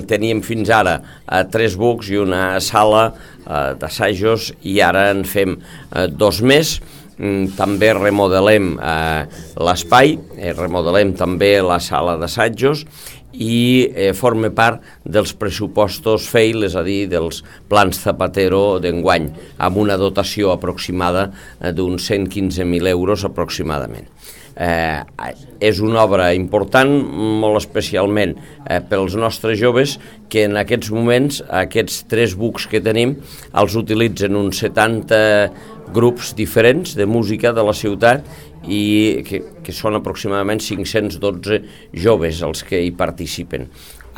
teníem fins ara 3 bucs i una sala d'assajos i ara en fem 2 més. També remodelem l'espai, remodelem també la sala d'assajos i forma part dels pressupostos FEIL, és a dir, dels plans Zapatero d'enguany, amb una dotació aproximada d'uns 115.000 euros aproximadament. És una obra important, molt especialment pels nostres joves, que en aquests moments, aquests 3 bucs que tenim, els utilitzen uns 70 grups diferents de música de la ciutat i que són aproximadament 512 joves els que hi participen.